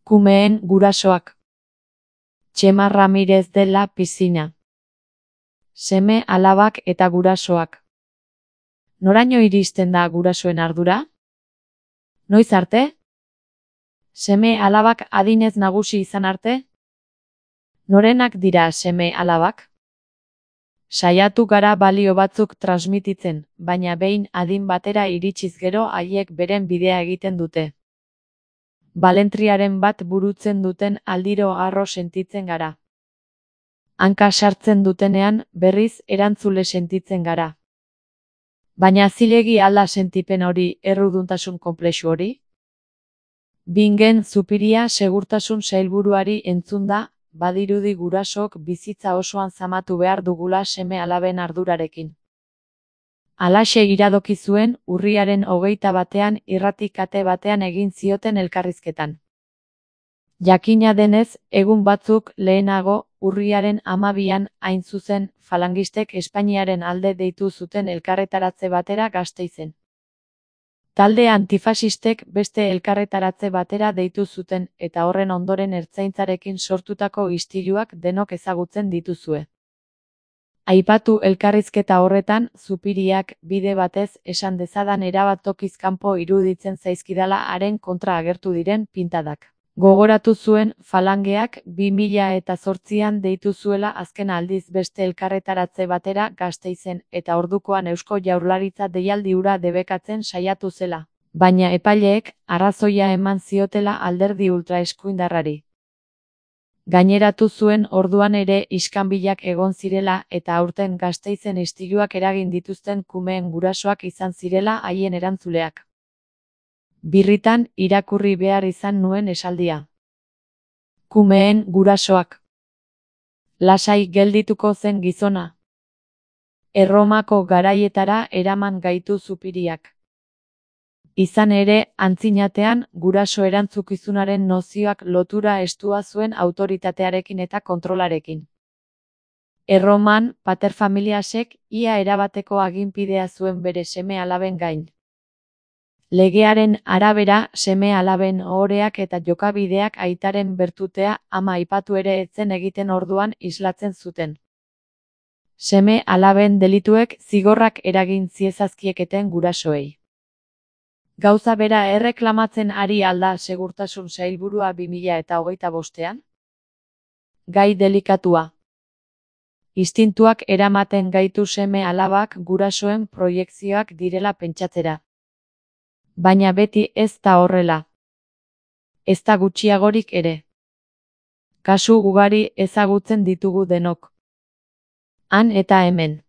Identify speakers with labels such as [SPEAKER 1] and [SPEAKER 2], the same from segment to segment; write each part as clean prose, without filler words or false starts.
[SPEAKER 1] Kumeen gurasoak. Txema Ramirez de la Piscina. Seme alabak eta gurasoak. Noraino iristen da gurasoen ardura? Noiz arte? Seme alabak adinez nagusi izan arte? Norenak dira seme alabak? Saiatu gara balio batzuk transmititzen, baina behin adin batera iritsiz gero haiek beren bidea egiten dute. Balentriaren bat burutzen duten aldiro harro sentitzen gara. Hanka sartzen dutenean berriz erantzule sentitzen gara. Baina zilegi alda sentipen hori, erruduntasun konplexu hori? Bingen Zupiria segurtasun sailburuari entzunda, badirudi gurasok bizitza osoan zamatu behar dugula seme alaben ardurarekin. Halaxe iradoki zuen urriaren 21 irrati kate batean egin zioten elkarrizketan. Jakina denez, egun batzuk lehenago, urriaren 12an hain zuzen, falangistek Espainiaren alde deitu zuten elkarretaratze batera Gasteizen. Talde antifasistek beste elkarretaratze batera deitu zuten eta horren ondoren ertzaintzarekin sortutako istiluak denok ezagutzen dituzue. Aipatu elkarrizketa horretan, Zupiriak bide batez esan dezadan erabat tokiz kanpo iruditzen zaizkidala haren kontra agertu diren pintadak. Gogoratu zuen falangeak 2008an deitu zuela azken aldiz beste elkarretaratze batera Gasteizen eta ordukoan Eusko Jaurlaritza deialdi hura debekatzen saiatu zela, baina epaileek arrazoia eman ziotela alderdi ultraeskuindarrari. Gaineratu zuen orduan ere iskanbilak egon zirela eta aurten Gasteizen istiluak eragin dituzten kumeen gurasoak izan zirela haien erantzuleak. Birritan irakurri behar izan nuen esaldia. Kumeen gurasoak. Lasai geldituko zen gizona. Erromako garaietara eraman gaitu Zupiriak. Izan ere, antzinatean, guraso erantzukizunaren nozioak lotura estua zuen autoritatearekin eta kontrolarekin. Erroman, paterfamiliasek ia erabateko aginpidea zuen bere seme alaben gain. Legearen arabera, seme alaben ohoreak eta jokabideak aitaren bertutea ama aipatu ere etzen egiten orduan islatzen zuten. Seme alaben delituek zigorrak eragin ziezazkieketen gurasoei. Gauza bera erreklamatzen ari alda segurtasun sailburua 2025an? Gai delikatua. Istintuak eramaten gaitu seme alabak gurasoen proiekzioak direla pentsatzera. Baina beti ez da horrela. Ez da gutxiagorik ere. Kasu ugari ezagutzen ditugu denok. Han eta hemen.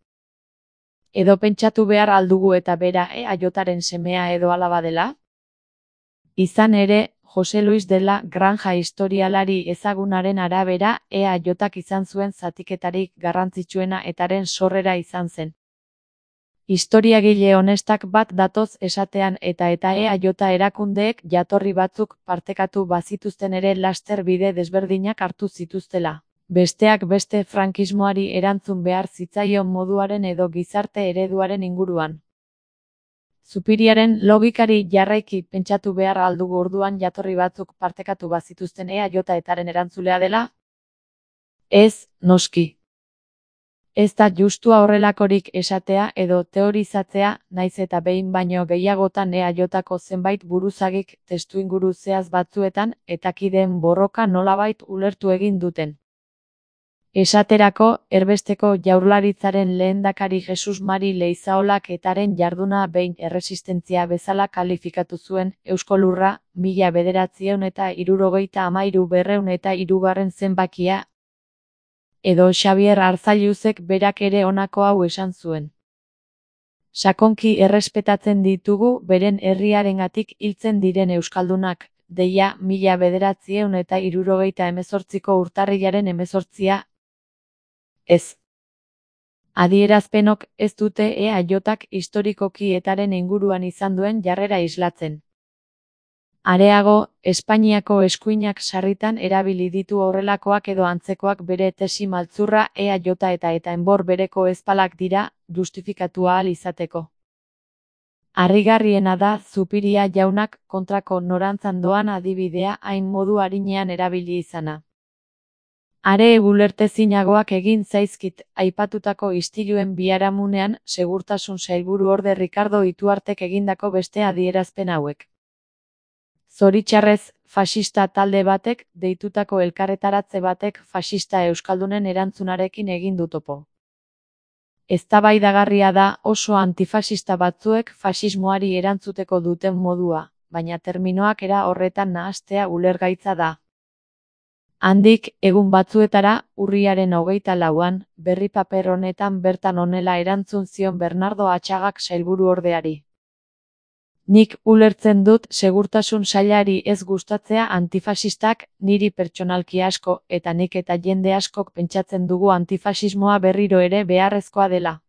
[SPEAKER 1] Edo pentsatu behar aldugu eta bera EAJaren semea edo alaba dela? Izan ere, Jose Luis de la Granja historialari ezagunaren arabera EAJak izan zuen zatiketarik garrantzitsuena etaren sorrera izan zen. Historiagile honestak bat datoz esatean eta EAJ erakundeek jatorri batzuk partekatu bazituzten ere laster bide desberdinak hartu zituztela. Besteak beste frankismoari erantzun behar zitzaion moduaren edo gizarte ereduaren inguruan. Zupiriaren logikari jarraiki pentsatu behar aldugu orduan jatorri batzuk partekatu bazituzten EAJ etaren erantzulea dela? Ez, noski. Ez da justua horrelakorik esatea edo teorizatzea, naiz eta behin baino gehiagotan EAJko zenbait buruzagik testuinguru zehaz batzuetan eta kideen borroka nolabait ulertu egin duten. Esaterako, erbesteko jaurlaritzaren lehendakari Jesus Mari Leizaolak etaren jarduna behin erresistentzia bezala kalifikatu zuen, Eusko Lurra, 1973-203 zenbakia, edo Xabier Arzailuzek berak ere honako hau esan zuen. Sakonki errespetatzen ditugu beren herriarengatik hiltzen diren euskaldunak, deia 1978ko urtarrilaren 18. Ez. Adierazpenok ez dute EAJak historikoki etaren inguruan izan duen jarrera islatzen. Areago, Espainiako eskuinak sarritan erabili ditu horrelakoak edo antzekoak bere tesi maltzurra EAJ eta enbor bereko ezpalak dira, justifikatu ahal izateko. Harrigarriena da Zupiria jaunak kontrako norantzan doan adibidea hain modu arinean erabili izana. Are ulertezinagoak egin zaizkit aipatutako istiluen biharamunean segurtasun sailburuorde Rikardo Ituartek egindako beste adierazpen hauek. Zoritxarrez, faxista talde batek deitutako elkarretaratze batek faxista euskaldunen erantzunarekin egin du topo. Eztabaidagarria da oso antifaxista batzuek faxismoari erantzuteko duten modua, baina terminoak era horretan nahastea ulergaitza da. Handik, egun batzuetara, urriaren 24an, berri paper honetan bertan honela erantzun zion Bernardo Atxagak sailburuordeari. Nik ulertzen dut segurtasun sailari ez gustatzea antifaxistak, niri pertsonalki asko eta nik eta jende askok pentsatzen dugu antifaxismoa berriro ere beharrezkoa dela.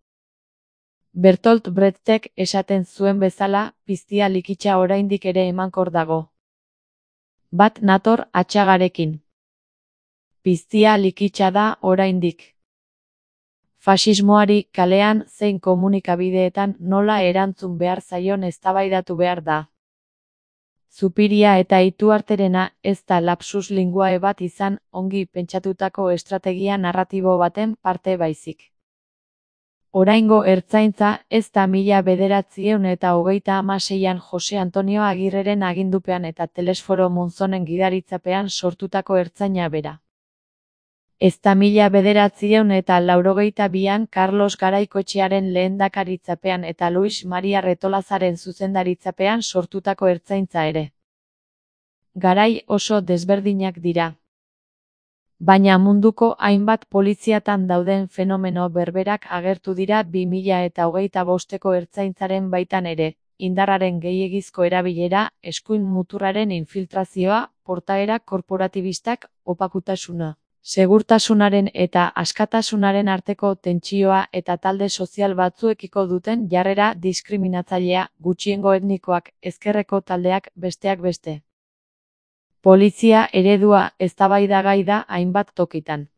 [SPEAKER 1] Bertolt Brechtek esaten zuen bezala, piztia likitsa oraindik ere emankor dago. Bat nator Atxagarekin. Piztia likitsa da oraindik. Faxismoari kalean zein komunikabideetan nola erantzun behar zaion eztabaidatu behar da. Zupiria eta Ituarterena ez da lapsus linguae bat izan ongi pentsatutako estrategia narratibo baten parte baizik. Oraingo ertzaintza ez da 1926an Jose Antonio Agirreren agindupean eta Telesforo Monzonen gidaritzapean sortutako ertzaina bera. Ez da 1982an Carlos Garaikoetxearen lehendakaritzapean eta Luis Maria Retolazaren zuzendaritzapean sortutako ertzaintza ere. Garai oso desberdinak dira. Baina munduko hainbat poliziatan dauden fenomeno berberak agertu dira 2025ko ertzaintzaren baitan ere, indarraren gehiegizko erabilera, eskuin muturraren infiltrazioa, portaera korporatibistak, opakutasuna. Segurtasunaren eta askatasunaren arteko tentsioa eta talde sozial batzuekiko duten jarrera diskriminatzailea, gutxiengo etnikoak, ezkerreko taldeak, besteak beste. Polizia eredua eztabaidagai da hainbat tokitan.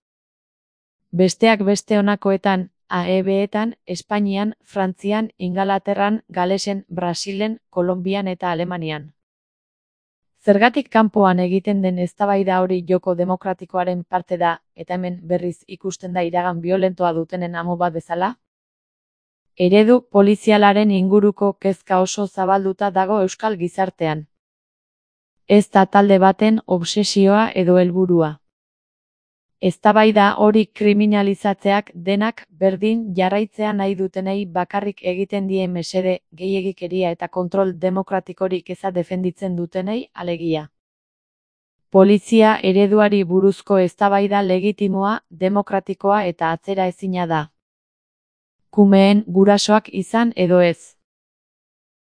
[SPEAKER 1] Besteak beste honakoetan, AEB-etan, Espainian, Frantzian, Ingalaterran, Galesen, Brasilen, Kolonbian eta Alemanian. Zergatik kanpoan egiten den eztabaida hori joko demokratikoaren parte da, eta hemen berriz ikusten da iragan biolentoa dutenen amo bat bezala? Eredu polizialaren inguruko kezka oso zabalduta dago euskal gizartean. Ez da talde baten obsesioa edo helburua. Eztabaida hori kriminalizatzeak denak berdin jarraitzea nahi dutenei bakarrik egiten die mesede, gehiegikeria eta kontrol demokratikorik eza defenditzen dutenei alegia. Polizia ereduari buruzko eztabaida legitimoa, demokratikoa eta atzera ezina da. Kumeen gurasoak izan edo ez.